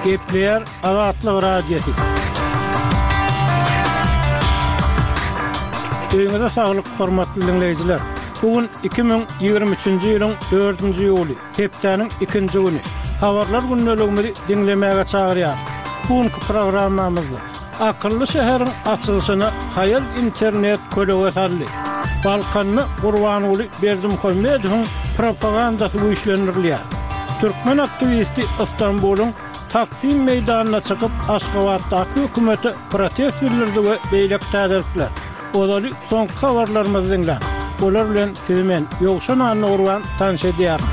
Gepleýär Azatlyk Radiosy. Öýüňize saglyk, hormatly diňleýjiler! Bu gün 2023-nji ýylyň dördünji iýuly, hepdäniň ikinji güni. Habarlar gündeligimizi diňlemäge çagyrýarys. Bu günki programmamyzda Akylly şäheriň açylyşyna haýal internet kölege saldy. Balkanda Gurbanguly Berdimuhamedowyň propagandasy güýçlendirilýär. Türkmen aktiwisti Ystambulyň Taksim meýdanyna çykyp, Aşgabatdaky hökümete protest bildirdi we beýleki täzelikler. Ozaly soňky habarlarymyzy diňläň. Olar bilen sizi men, Ýowşan Annagurban tanyş edýärin.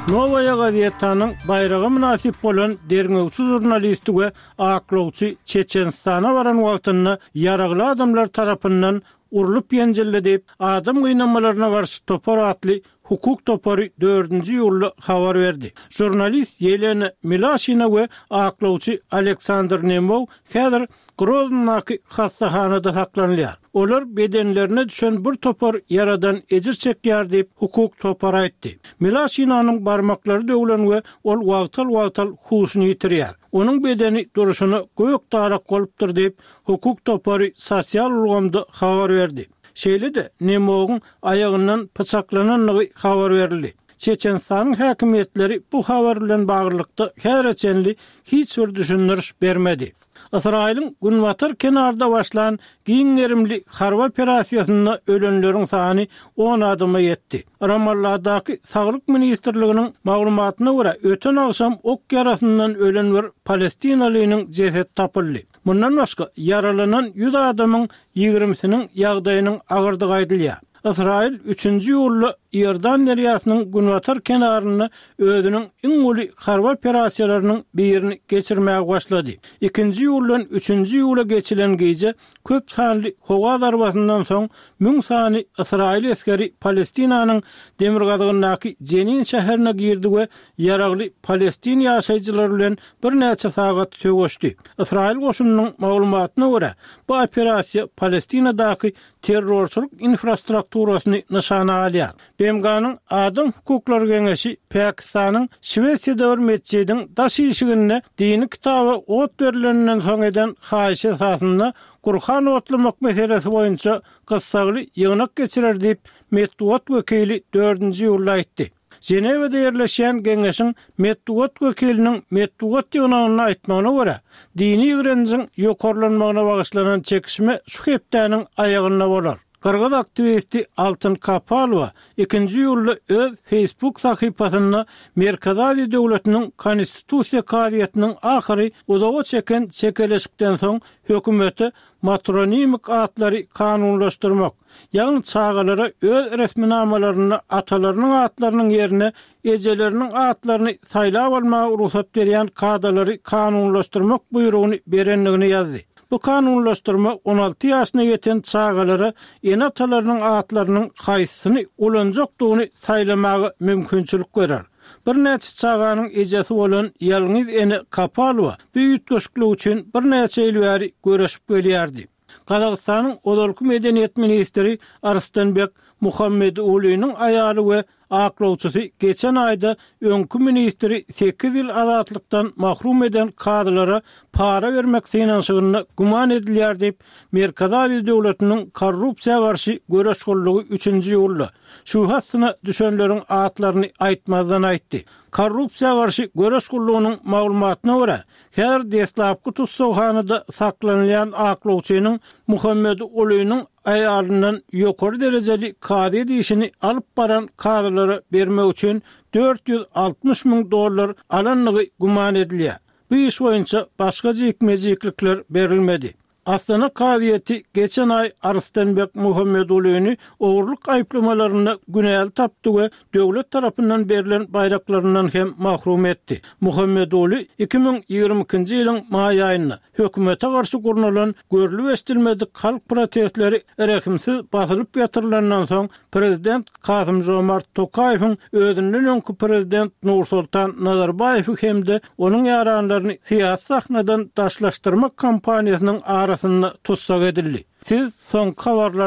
Nowaýa gazetanyň baýraga mynasyp bolan derňewçi žurnalisti we aklawçy Çeçenistana baran wagtynda ýaragly adamlar tarapyndan urlup-ýenjildi diýip, Adam gynamalaryna garşy topar atly hukuk topary dördünji iýulda habar berdi. Žurnalist Ýelena Milaşina we aklawçy Aleksandr Nemow häzir Groznydaky hassahanada saklanylýar. Olar bedenlerine düşen bir topar ýaradan ejir çekýär diýip, hukuk topary aýtdy. Milaşinanyň barmaklary döwlen we ol wagtal-wagtal huşuny ýitirýär. Onuň bedeni durşuna gök darak bolupdyr diýip, hukuk topary sosial ulgamda habar berdi. Şeýle-de, Nemowyň aýagyndan pyçaklanandygy habar berildi. Çeçenistanyň häkimiýetleri bu habar bilen baglylykda häzire çenli hiç bir düşündiriş bermedi. Ysraýylyň günbatar kenarda başlan giň gerimli harby operasiýasynda ölenleriň sany on adama ýetdi. Ramalladaky Saglyk ministrliginiň maglumatyna görä, öten agşam ok ýarasyndan ölen bir palestinalynyň jesedi tapyldy. Mundan başga, ýaralanan 100 adamyň ýigrimisiniň ýagdaýynyň agyrdygy aýdylýar. Ysraýyl üçünji iýulda Iordan derýasynyň günbatar kenarynda özüniň iň uly harby operasiýalarynyň birini geçirmäge başlady. Ikinji iýuldan üçünji iýula geçilen gije köp sanly howa zarbasyndan soň müň sany ysraýyl esgeri Palestinanyň demirgazygyndaky Jenin şäherine girdi we ýaragly palestin ýaşaýjylary bilen birnäçe sagat söweşdi. Ysraýyl goşunynyň maglumatyna görä, bu operasiýa Palestinadaky terrorçylyk infrastrukturasyny nyşana alýar. BMG-niň Adam hukuklary geňeşi Pakistanyň Şwesiýada bir metjidiň daş işiginde dini kitaba ot berleninden soň eden haýyşy esasynda Gurhan otlamak meselesi boýunça gyssagly ýygnak geçirer diýip, metbugat wekili dördünji iýulda aýtdy. Ženewada ýerleşýän geňeşiň metbugat wekiliniň metbugat ýygnagynda aýtmagyna görä, dini ýigrenjiň ýokarlanmagyna bagyşlanan çekişme şu hepdäniň aýagynda bolar. Gyrgyz aktiwisti Altyn Kapalowa ikinji iýulda öz Facebook sahypasynda Merkezi Aziýa döwletiniň Konstitusiýa kazyýetiniň ahyry uzaga çeken çekeleşikden soň hökümete matronimik atlary kanunlaşdyrmak, Ýagny çagalara öz resminamalarynda atalarynyň atlarynyň ýerine ejeleriniň atlaryny saýlap almaga rugsat berýän kadalary kanunlaşdyrmak buýrugyny berendigini ýazdy. Bu kanunlaşdyrma 16 ýaşyna ýeten çagalara ene-atalarynyň atlarynyň haýsysyny ulanjakdygyny saýlamaga mümkinçilik berer. Birnäçe çaganyň ejesi bolan ýalňyz ene Kapalowa bu üýtgeşiklik üçin birnäçe ýyl bäri göreşip gelýärdi. Gazagystanyň ozalky medeniýet ministri Arstanbek Muhammedulynyň aýaly we aklawçysy geçen aýda öňki ministri sekiz ýyl azatlykdan mahrum eden kazylara para bermek synanyşygynda güman edilýär diýip, Merkezi Aziýa döwletiniň korrupsiýa garşy göreş gullugy üçünji iýulda şübhe astyna düşenleriň atlaryny aýtmazdan aýtdy. Korrupsiýa garşy göreş gullugynyň maglumatyna görä, Häzir deslapky tussaghanada saklanylýan aklawçynyň Muhammedulynyň aýalyndan ýokary derejeli kazyýet işini alyp baran kazylara bermek üçin 460 müň dollar alandygy güman edilýär. Bu iş boýunça başga jikme-jiklikler berilmedi. Astana kazyýeti geçen aý Arslänbek Muhammedulyny ogurlyk aýyplamalarynda günäli tapdy we döwlet tarapyndan berlen baýraklaryndan hem mahrum etdi. Muhammeduly 2022-nji ýylyň maý aýynda hökümete garşy gurnalan görlüp-eşidilmedik halk protestleri rehimsiz basylyp ýatyrylandan soň prezident Kasym-Žomart Tokaýewiň özünden öňki prezident Nursoltan Nazarbaýewi hem-de onuň ýaranlaryny syýasy sahnadan daşlaşdyrmak kampaniýasynyň arasynda tussag edildi. Siz soňky habarlar.